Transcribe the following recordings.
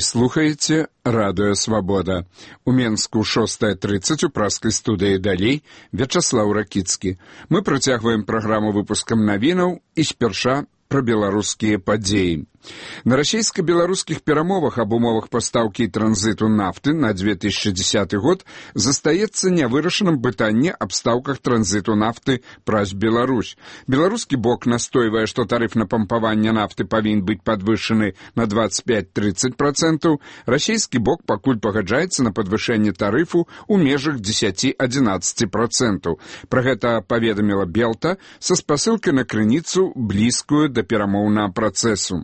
слухаеце Радыё Свабода. У Менску 6:30 у праскай студыі далей Вячаслаў Ракіцкі. Мы працягваем праграму выпускам навінаў і спярша пра беларускія падзеі. На расійска-беларускіх перамовах аб умовах пастаўкі і транзіту нафты на 2010 год застаецца нявырашаным пытанне аб стаўках транзіту нафты праз Беларусь. Беларускі бок настойвае, што тарыф на пампаванне нафты павінен быць падвышаны на 25-30%, расійскі бок пакуль пагаджаецца на падвышэнне тарыфу ў межах 10-11%. Пра гэта паведаміла Белта са спасылкай на крыніцу, блізкую да перамоўнага працэсу.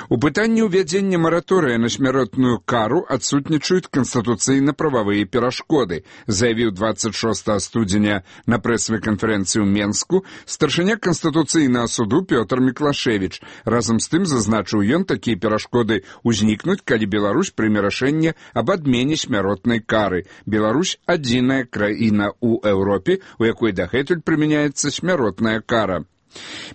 У пытанні ўвядзення мараторыя на смяротную кару адсутнічаюць канстытуцыйна-прававыя перашкоды, заявіў 26 студзеня на прэсавай канферэнцыі ў Менску старшыня Канстытуцыйнага суду Пётр Міклашевіч. Разам з тым, зазначыў ён, такія перашкоды ўзнікнуць, калі Беларусь прыме рашэнне аб адмене смяротнай кары. Беларусь – адзіная краіна ў Еўропе, у якой дагэтуль прымяняецца смяротная кара.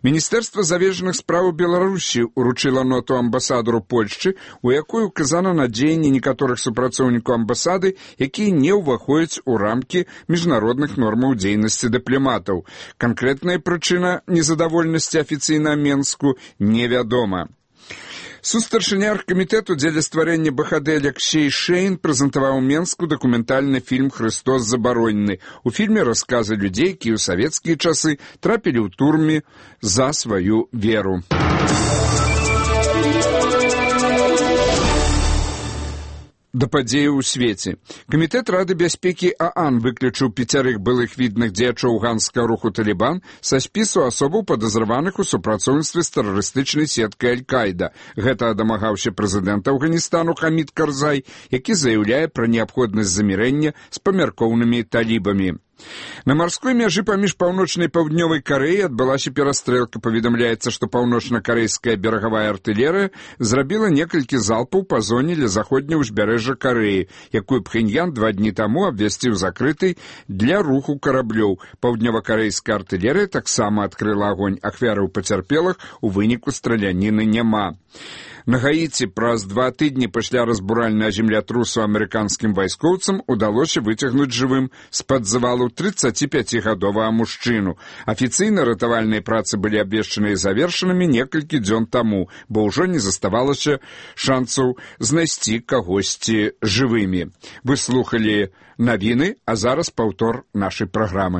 Міністэрства завежных спраў Беларусі уручыла ноту амбасадару Польшчы, у якой указана на дзеянні некаторых супрацоўнікаў амбасады, якія не ўваходзяць у рамкі міжнародных нормаў дзейнасці дыпламатаў. Канкрэтная прычына незадавольнасці афіцыйна Менску невядома. Сустаршыня аргкамітэту дзеля стварэння БХД Алексей Шейн прэзентаваў у Менску дакументальны фільм «Хрыстос забаронены». У фільме расказы людзей, якія ў савецкія часы трапілі ў турме за сваю веру. Да падзеяў у свеце. Камітэт Рады бяспекі ААН выключыў 5 былых відных дзеячоў ганскага руху «Талібан» са спісу асобаў падазраваных у супрацоўніцтве з тэрарыстычнай сеткай Аль-Каіда. Гэта дамагаўся прэзідэнт Афганістану Хамід Карзай, які заяўляе пра неабходнасць замірэння з памяркоўнымі талібамі. На марской мяжы паміж паўночнай і паўднёвай Карэяй адбылася перастрэлка. Паведамляецца, што паўночна-карэйская берагавая артылерыя зрабіла некалькі залпаў па зоне ля заходняга ўзбярэжжа Карэі, якую Пхеньян 2 дні таму абвясціў закрытай для руху караблёў. Паўднёва-карэйская артылерыя таксама адкрыла агонь. Ахвяраў пацярпелых у выніку страляніны няма. На Гаіці праз 2 тыдні пасля разбуральнага землятрусу амерыканскім вайскоўцам удалося выцягнуць жывым з-пад завалу 35-гадовага мужчыну. Афіцыйна ратавальныя працы былі абвешчаны і завершанымі некалькі дзён таму, бо ўжо не заставалася шансаў знайсці кагосьці жывымі. Вы слухалі навіны, а зараз паўтор нашай праграмы.